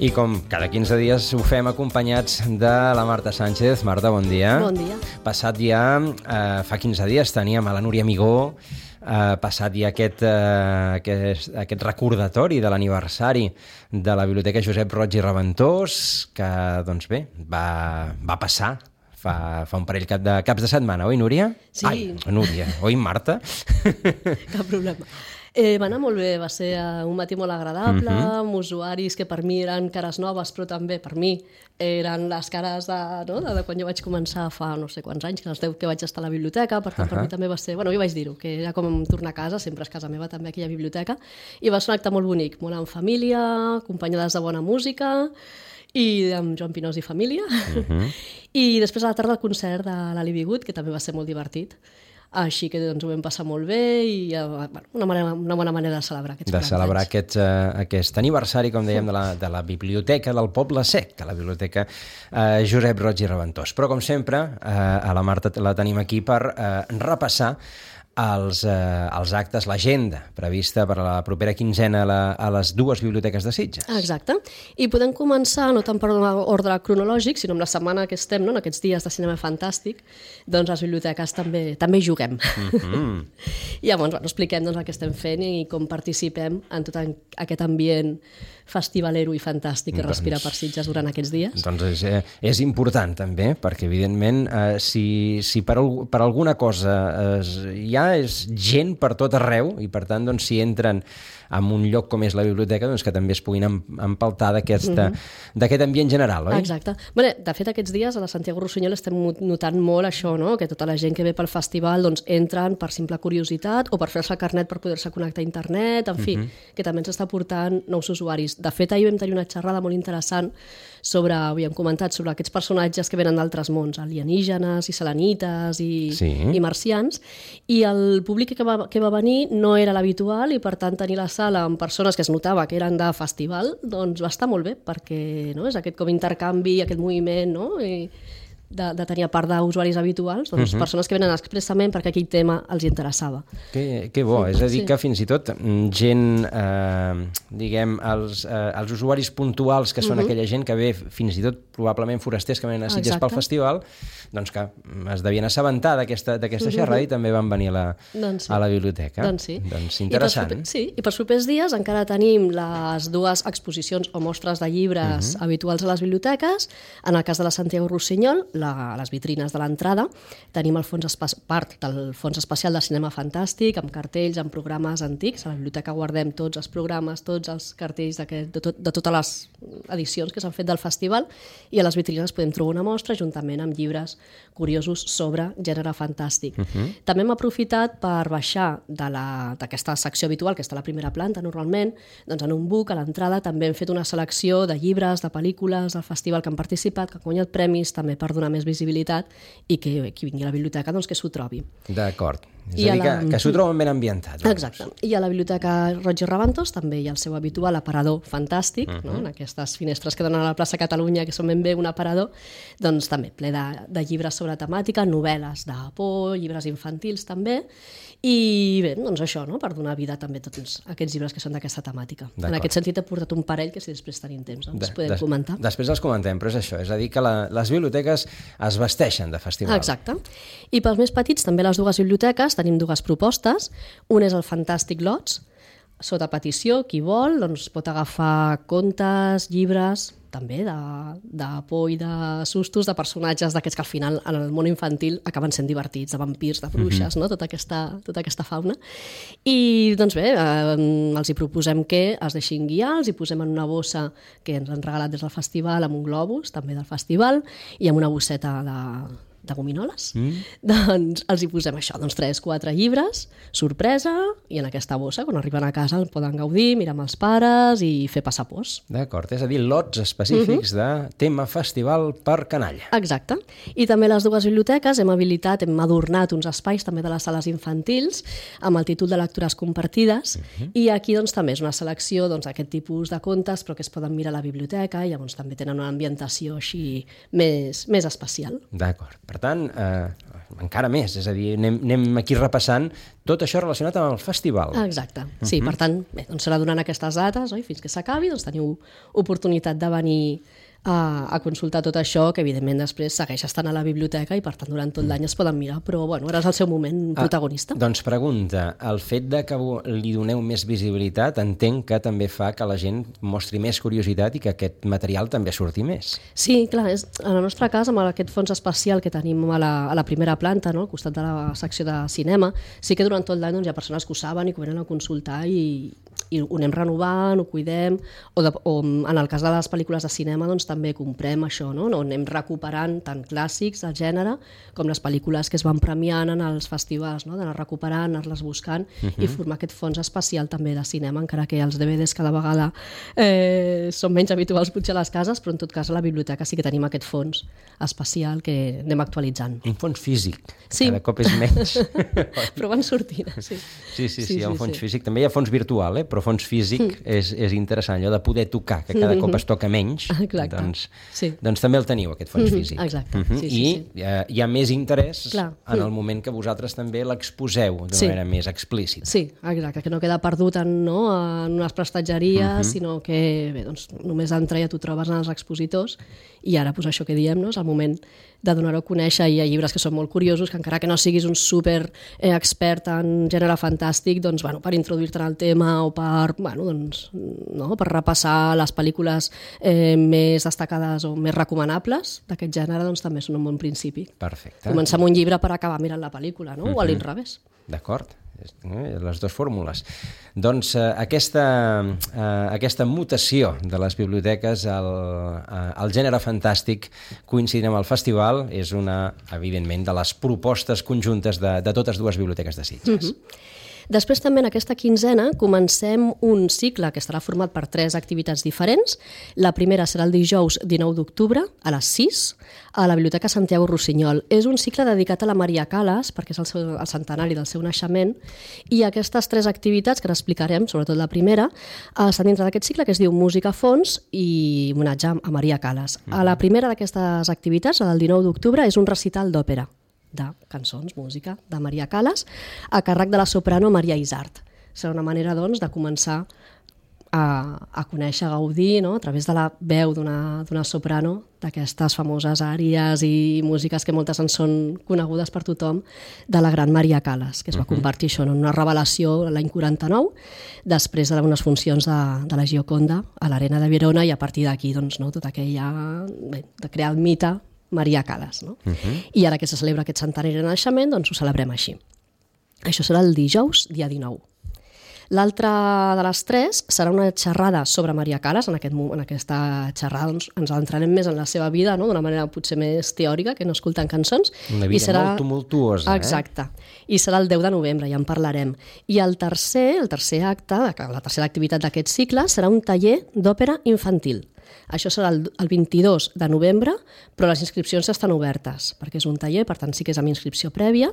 I com cada 15 dies ho fem acompanyats de la Marta Sánchez. Marta, bon dia. Bon dia. Passat ja, fa 15 dies teníem a la Núria Migó, passat ja aquest recordatori de l'aniversari de la Biblioteca Josep Roig i Reventós, que, doncs bé, va passar fa un parell de caps de setmana, oi, Núria? Sí. Ai, Núria, oi, Marta? Cap problema. Va anar molt bé, va ser un matí molt agradable, amb usuaris que per mi eren cares noves, però també per mi eren les cares de quan jo vaig començar fa no sé quants anys, que els 10 que vaig estar a la biblioteca, per tant per mi també va ser, jo vaig dir-ho, que era com tornar a casa, sempre és casa meva també aquella biblioteca, i va ser un acte molt bonic, molt en família, acompanyades de bona música, i amb Joan Pinós i família, i després a la tarda el concert de l'Ali Bigut, que també va ser molt divertit. Així que doncs, ho vam passar molt bé i una bona manera de celebrar aquests 40 anys. De celebrar aquest aniversari, com dèiem, de la Biblioteca del Poble Sec, de la Biblioteca Josep Roig i Reventós. Però, com sempre, a la Marta la tenim aquí per repassar els actes, l'agenda prevista per a la propera quinzena a les dues biblioteques de Sitges. Exacte. I podem començar, no tant per ordre cronològic, sinó amb la setmana que estem, en aquests dies de cinema fantàstic, doncs les biblioteques també juguem. I llavors expliquem el que estem fent i com participem en tot aquest ambient festivalero i fantàstic que respira per Sitges durant aquests dies. Doncs és important també, perquè evidentment si per alguna cosa hi ha és gent per tot arreu i per tant si entren en un lloc com és la biblioteca doncs que també es puguin empaltar d'aquest ambient general, oi? Exacte. De fet, aquests dies a la Santiago Rossinyol estem notant molt això, que tota la gent que ve pel festival entren per simple curiositat o per fer-se el carnet per poder-se connectar a internet, en fi, que també ens està portant nous usuaris. De fet, ahir vam tenir una xerrada molt interessant havíem comentat sobre aquests personatges que venen d'altres mons, alienígenes i selenites i marcians, i el públic que va venir no era l'habitual i per tant tenir la sala amb persones que es notava que eren de festival, doncs va estar molt bé perquè és aquest com intercanvi, aquest moviment de tenir a part d'usuaris habituals, doncs persones que venen expressament perquè aquell tema els interessava. Que bo, és a dir que fins i tot gent, diguem, els usuaris puntuals que són aquella gent que ve fins i tot probablement forasters que venen a Sitges pel festival, doncs que es devien assabentar d'aquesta xerrada i també van venir a la biblioteca. Doncs sí. Doncs interessant. Sí, i per propers dies encara tenim les dues exposicions o mostres de llibres habituals a les biblioteques. En el cas de la Santiago Rossinyol, les vitrines de l'entrada, tenim part del Fons Especial de Cinema Fantàstic, amb cartells, amb programes antics. A la biblioteca guardem tots els programes, tots els cartells de totes les edicions que s'han fet del festival, i a les vitrines podem trobar una mostra juntament amb llibres curiosos sobre gènere fantàstic. També hem aprofitat per baixar d'aquesta secció habitual, que està a la primera planta normalment, doncs en un book a l'entrada també hem fet una selecció de llibres, de pel·lícules del festival que han participat, que han guanyat premis, també per donar més visibilitat i que qui vingui a la biblioteca doncs que s'ho trobi. D'acord. És a dir, que s'ho troben ben ambientat. Exacte. I a la Biblioteca Roig i Reventós també hi ha el seu habitual aparador fantàstic, en aquestes finestres que donen a la plaça Catalunya, que són ben bé un aparador, doncs també ple de llibres sobre temàtica, novel·les de por, llibres infantils també, i bé, doncs això, per donar vida també a tots aquests llibres que són d'aquesta temàtica. En aquest sentit he portat un parell que si després tenim temps doncs podem comentar. Després els comentem, però és això, és a dir que les biblioteques es vesteixen de festival. Exacte. I pels més petits, també les dues biblioteques, tenim dues propostes. Un és el Fantàstic Lots, sota petició, qui vol doncs pot agafar contes, llibres, també de por i de sustos, de personatges d'aquests que al final en el món infantil acaben sent divertits, de vampirs, de bruixes, tota aquesta fauna. I doncs bé, els hi proposem que es deixin guiar, els hi posem en una bossa que ens han regalat des del festival, amb un globus també del festival i amb una bosseta de gominoles, doncs els hi posem això, 3-4 llibres, sorpresa, i en aquesta bossa, quan arriben a casa, el poden gaudir, mirar amb els pares i fer passar pors. D'acord, és a dir, lots específics de tema festival per canalla. Exacte. I també les dues biblioteques hem adornat uns espais també de les sales infantils amb el títol de lectures compartides, i aquí doncs també és una selecció d'aquest tipus de contes, però que es poden mirar a la biblioteca, i llavors també tenen una ambientació així més especial. D'acord. Per tant, encara més, és a dir, anem aquí repassant tot això relacionat amb el festival. Exacte, sí, per tant, bé, doncs serà durant aquestes dates, oi? Fins que s'acabi, doncs teniu oportunitat de venir a consultar tot això, que evidentment després segueix estant a la biblioteca i per tant durant tot l'any es poden mirar, però bueno, ara és el seu moment protagonista. Doncs pregunta, el fet de que li doneu més visibilitat entenc que també fa que la gent mostri més curiositat i que aquest material també surti més. Sí, clar, en el nostre cas, amb aquest fons especial que tenim a la primera planta, no, al costat de la secció de cinema, sí que durant tot l'any doncs, hi ha persones que ho saben i que ho venen a consultar i ho anem renovant, ho cuidem, o en el cas de les pel·lícules de cinema doncs, també comprem això, no? Anem recuperant tant clàssics del gènere com les pel·lícules que es van premiant en els festivals, no? D'anar recuperant, anar-les buscant i formar aquest fons especial també de cinema, encara que els DVDs cada vegada són menys habituals potser a les cases, però en tot cas a la biblioteca sí que tenim aquest fons especial que anem actualitzant. Un fons físic, sí. Cada cop és menys. Però van sortint, sí. Sí, hi ha un fons físic. També hi ha fons virtual, però fons físic és interessant, allò de poder tocar, que cada cop es toca menys, doncs també el teniu, aquest fons físic. Exacte. I hi ha més interès en el moment que vosaltres també l'exposeu d'una manera més explícita. Sí, exacte, que no queda perdut en unes prestatgeries, sinó que bé, doncs, només d'entrar ja t'ho trobes en els expositors i ara doncs, això que diem, no? És el moment de donar-ho a conèixer i hi ha llibres que són molt curiosos, que encara que no siguis un super expert en gènere fantàstic, doncs, bueno, per introduir-te en el tema o per repassar les pel·lícules més destacades o més recomanables d'aquest gènere, doncs també són un bon principi. Perfecte. Començar amb un llibre per acabar mirant la pel·lícula, no? O a l'inrevés. D'acord, les dues fórmules. Doncs aquesta mutació de les biblioteques al gènere fantàstic coincidint amb el festival és una, evidentment, de les propostes conjuntes de totes dues biblioteques de Sitges. Després també en aquesta quinzena comencem un cicle que estarà format per 3 activitats diferents. La primera serà el dijous 19 d'octubre a les 6 a la Biblioteca Santiago Rossinyol. És un cicle dedicat a la Maria Callas perquè és el centenari del seu naixement i aquestes 3 activitats que n'explicarem, sobretot la primera, estan dintre d'aquest cicle que es diu Música a fons i homenatge a Maria Callas. A la primera d'aquestes activitats, la del 19 d'octubre, és un recital d'òpera de cançons, música, de Maria Callas, a càrrec de la soprano Maria Isart. Serà una manera, doncs, de començar a conèixer, a gaudir, no?, a través de la veu d'una soprano, d'aquestes famoses àries i músiques que moltes en són conegudes per tothom, de la gran Maria Callas, que es va convertir això en una revelació l'any 49, després d'unes funcions de la Gioconda a l'Arena de Verona, i a partir d'aquí, doncs, no, tot aquella, de crear el mite Maria Callas, no? I ara que se celebra aquest centenari de naixement, doncs ho celebrem així. Això serà el dijous, dia 19. L'altra de les 3 serà una xerrada sobre Maria Callas. En aquesta xerrada doncs, ens adentrarem més en la seva vida, no? D'una manera potser més teòrica, que no escoltant cançons. Una vida molt tumultuosa. Exacte. I serà el 10 de novembre, ja en parlarem. I el tercer acte, la tercera activitat d'aquest cicle, serà un taller d'òpera infantil. Això serà el 22 de novembre, però les inscripcions estan obertes, perquè és un taller, per tant sí que és amb inscripció prèvia,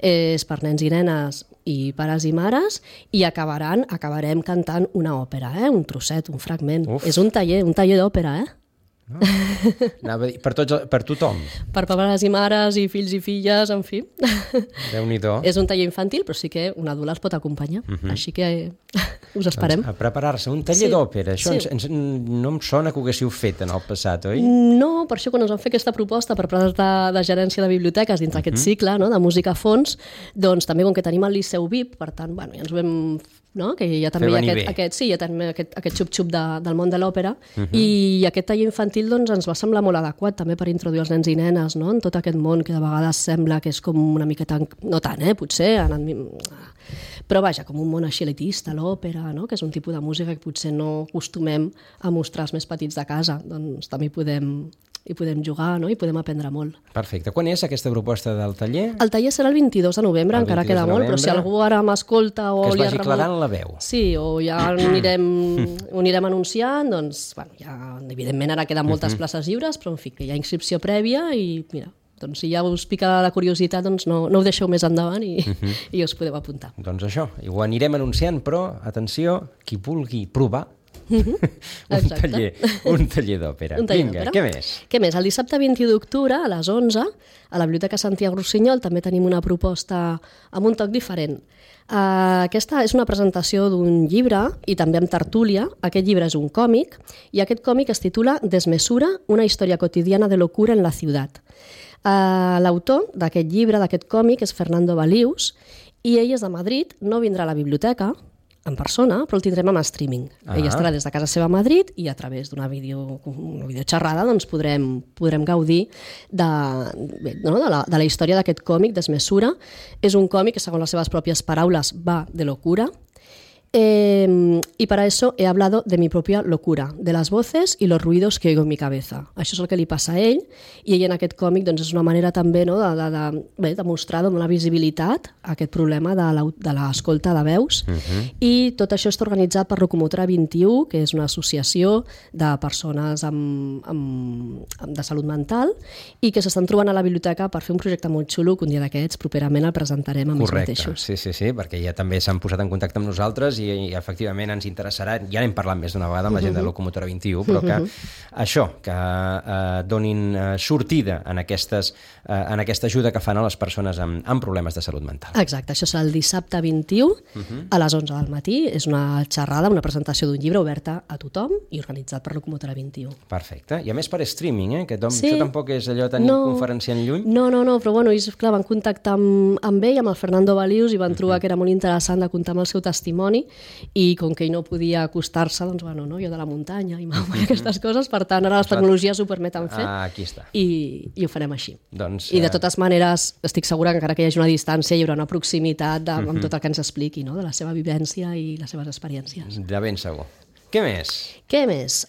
és per nens i nenes i pares i mares, i acabarem cantant una òpera, un trosset, un fragment. És un taller d'òpera, No? Anava a dir, per tothom. Per pares i mares i fills i filles, en fi. Déu-n'hi-do. És un taller infantil, però sí que un adult els pot acompanyar. Així que us esperem. Doncs a preparar-se. Un taller d'òpera. Això no em sona que ho haguéssiu fet en el passat, oi? No, per això quan ens vam fer aquesta proposta per part de gerència de biblioteques dins d'aquest cicle, no?, de música a fons, doncs també com que tenim el Liceu VIP, per tant, bueno, ja ens ho vam... No? Que ja també hi ha aquest xup-xup del món de l'òpera, i aquest taller infantil doncs, ens va semblar molt adequat també per introduir els nens i nenes, no?, en tot aquest món que de vegades sembla que és com una miqueta, no tant, potser, però vaja, com un món així elitista, l'òpera, no?, que és un tipus de música que potser no acostumem a mostrar als més petits de casa, doncs també hi podem jugar, no?, i podem aprendre molt. Perfecte. Quan és aquesta proposta del taller? El taller serà el 22 de novembre, encara queda molt, però si algú ara m'escolta o... Que es vagi aclarant la veu. Sí, o ja ho anirem anunciant, doncs, bueno, ja, evidentment ara queden moltes places lliures, però en fi, que hi ha inscripció prèvia i, mira, doncs si ja us pica la curiositat, doncs no ho deixeu més endavant i us podeu apuntar. Doncs això, ho anirem anunciant, però, atenció, qui vulgui provar Un taller d'òpera. Vinga, què més? Què més? El dissabte 21 d'octubre, a les 11, a la Biblioteca Santiago Rossinyol també tenim una proposta amb un toc diferent. Aquesta és una presentació d'un llibre i també amb tertúlia. Aquest llibre és un còmic i aquest còmic es titula Desmesura, una història quotidiana de locura en la ciutat. L'autor d'aquest llibre, d'aquest còmic, és Fernando Balius i ell és de Madrid, no vindrà a la biblioteca en persona, però el tindrem amb streaming. Ell estarà des de casa seva a Madrid i a través d'una videoxerrada doncs podrem gaudir de la història d'aquest còmic, Desmesura. És un còmic que, segons les seves pròpies paraules, va de locura. Y para eso he hablado de mi propia locura, de las voces y los ruidos que oigo en mi cabeza. Això és el que li passa a ell, i ell en aquest còmic doncs, és una manera també de mostrar, de donar visibilitat a aquest problema de l'escolta de veus. I tot això està organitzat per Locomotora 21, que és una associació de persones de salut mental i que s'estan trobant a la biblioteca per fer un projecte molt xulo que un dia d'aquests properament el presentarem amb ells mateixos. Sí, perquè ja també s'han posat en contacte amb nosaltres i efectivament ens interessarà, ja n'hem parlat més d'una vegada amb la gent de Locomotora 21, però que això, que donin sortida en aquesta ajuda que fan a les persones amb problemes de salut mental. Exacte, això serà el dissabte 21 a les 11 del matí. És una xerrada, una presentació d'un llibre oberta a tothom i organitzat per Locomotora 21. Perfecte. I a més per streaming, que això tampoc és allò tenir conferenciant lluny. No, però bueno, ells, clar, van contactar amb ell, amb el Fernando Balius, i van trobar que era molt interessant de comptar amb el seu testimoni, i com que ell no podia acostar-se, doncs bueno, jo de la muntanya i aquestes coses, per tant ara les tecnologies ho permeten fer. Aquí està. I ho farem així. Doncs, I de totes maneres estic segura que encara que hi hagi una distància hi haurà una proximitat amb tot el que ens expliqui, de la seva vivència i les seves experiències. De ben segur. Què més? Què més?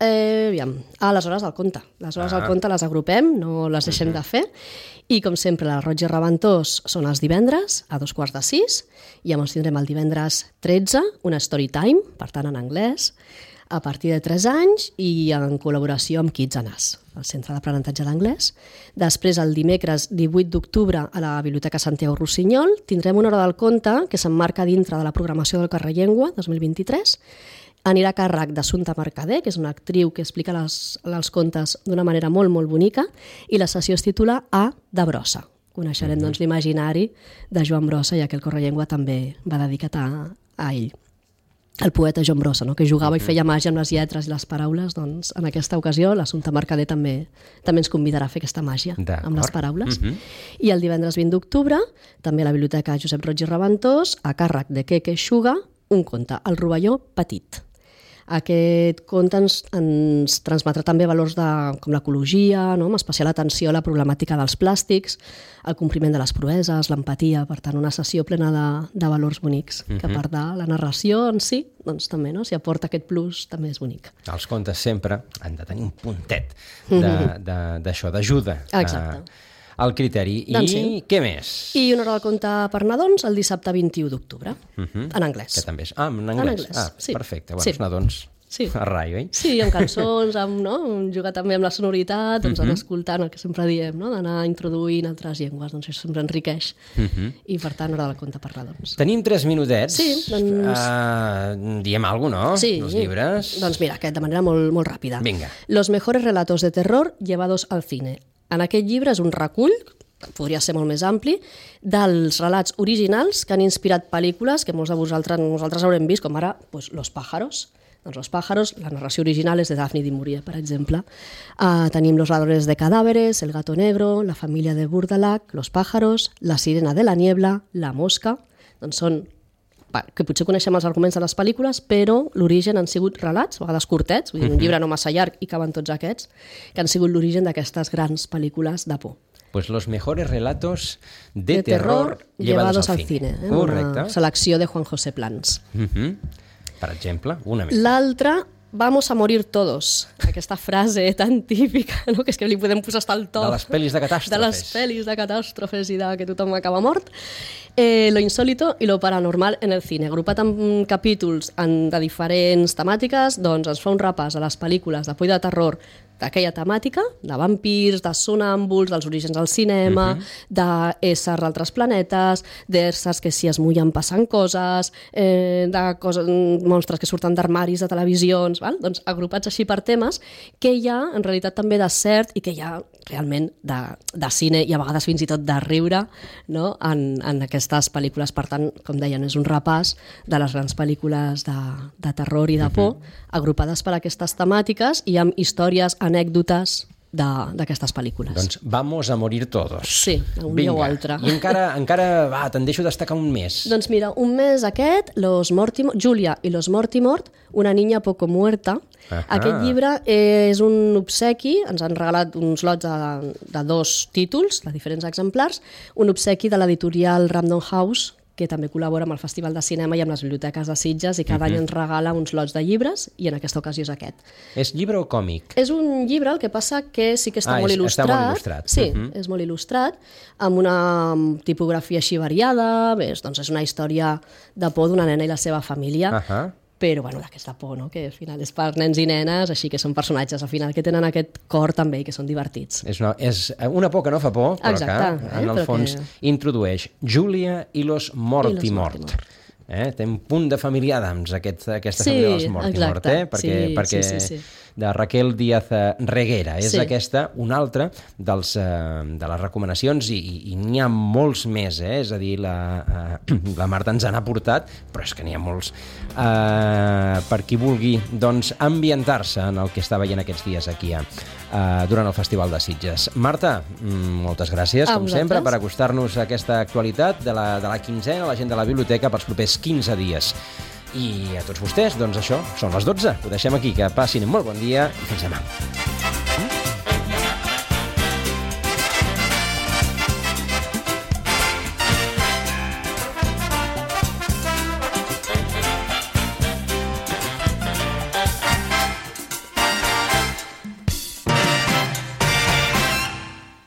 Aviam. Les hores del conte. Les hores del conte les agrupem, no les deixem de fer. I, com sempre, la Roig i Reventós són els divendres, a 5:45, i llavors tindrem el divendres 13, una story time, per tant, en anglès, a partir de 3 anys i en col·laboració amb Kids Anas, el Centre d'Aprenentatge d'Anglès. Després, el dimecres 18 d'octubre, a la Biblioteca Santiago Rossinyol, tindrem una hora del conte que s'emmarca dintre de la programació del Carrer Llengua 2023. Anirà a càrrec d'Assumpta Mercader, que és una actriu que explica els contes d'una manera molt, molt bonica, i la sessió es titula A de Brossa. Coneixerem doncs, l'imaginari de Joan Brossa, ja que el Carrer Llengua també va dedicat a ell. El poeta Joan Brossa, que jugava i feia màgia amb les lletres i les paraules, doncs en aquesta ocasió l'Assumpta Mercader també ens convidarà a fer aquesta màgia amb les paraules. I el divendres 20 d'octubre, també a la Biblioteca Josep Roig i Reventós, a càrrec de Keke Xuga, un conte, El rovelló petit. Aquest conte ens transmetrà també valors com l'ecologia, amb especial atenció a la problemàtica dels plàstics, el compliment de les proeses, l'empatia, per tant, una sessió plena de valors bonics, que a part de la narració en si, doncs també, si aporta aquest plus, també és bonic. Els contes sempre han de tenir un puntet d'això, d'ajuda. Exacte. El criteri. I què més? I una hora del conte per nadons el dissabte 21 d'octubre, en anglès. Que també és... en anglès. Sí. Perfecte. Bueno, els nadons a raio, Sí, amb cançons, jugar també amb la sonoritat, doncs anar escoltant el que sempre diem, d'anar introduint altres llengües, doncs això sempre enriqueix. I per tant, hora del conte per nadons. Tenim 3 minutets. Sí, doncs... Diem alguna cosa, no? Sí. Els llibres. Doncs mira, aquest de manera molt, molt ràpida. Vinga. Los mejores relatos de terror llevados al cine. En aquest llibre és un recull, podria ser molt més ampli, dels relats originals que han inspirat pel·lícules que molts de nosaltres haurem vist, com ara Los pájaros. Doncs Los pájaros, la narració original és de Daphne du Maurier, per exemple. Tenim Los ladrones de cadáveres, El gato negro, La familia de Burdalac, Los pájaros, La sirena de la niebla, La mosca. Doncs són que potser coneixem els arguments de les pel·lícules, però l'origen han sigut relats, a vegades curtets, vull dir, un llibre no massa llarg i caben tots aquests, que han sigut l'origen d'aquestes grans pel·lícules de por. Pues los mejores relatos de terror llevados al cine. Correcte. Una selecció de Juan José Plans. Per exemple, una més. L'altra, vamos a morir todos. Aquesta frase tan típica, que és que li podem posar hasta el to. De les pel·lis de catàstrofes. De les pel·lis de catàstrofes i de que tothom acaba mort. Lo insólito y lo paranormal en el cine. Agrupat en capítols de diferents temàtiques, doncs ens fa un repàs a les pel·lícules de por i de terror d'aquella temàtica, de vampirs, de sonàmbuls, dels orígens del cinema, d'éssers d'altres planetes, d'éssers que si es mullen passen coses, monstres que surten d'armaris de televisions, val? Doncs agrupats així per temes, que hi ha en realitat també de cert i que hi ha realment de cine i a vegades fins i tot de riure, no? en aquestes pel·lícules. Per tant, com deien, és un repàs de les grans pel·lícules de terror i de por, agrupades per aquestes temàtiques i amb històries, anècdotes d'aquestes pel·lícules. Doncs vamos a morir todos. Sí, un dia o altre. I encara te'n deixo destacar un més. Doncs mira, un mes aquest, Julia i los Mortimort, una niña poco muerta. Aquest llibre és un obsequi, ens han regalat uns lots de 2 títols, de diferents exemplars, un obsequi de l'editorial Random House, que també col·labora amb el Festival de Cinema i amb les biblioteques de Sitges i cada any ens regala uns lots de llibres i en aquesta ocasió és aquest. És llibre o còmic? És un llibre, el que passa que sí que està molt il·lustrat. Està molt il·lustrat. Sí, és molt il·lustrat, amb una tipografia així variada, doncs és una història de por d'una nena i la seva família, però bueno, d'aquesta por, no? Que al final és per nens i nenes, així que són personatges al final que tenen aquest cor també i que són divertits. És una por que no fa por, però que en el fons introdueix Julia i los Mortimort. Té un punt de familiar d'ams, aquesta família dels Mortimort, perquè de Raquel Díaz Reguera. És aquesta una altra de les recomanacions i n'hi ha molts més, és a dir, la Marta ens n'ha portat, però és que n'hi ha molts. Per qui vulgui ambientar-se en el que està veient aquests dies aquí durant el Festival de Sitges. Marta, moltes gràcies, com sempre, per acostar-nos a aquesta actualitat de la quinzena, la gent de la biblioteca, pels propers 15 dies. I a tots vostès, doncs això, són les 12. Ho deixem aquí, que passin un molt bon dia i fins demà.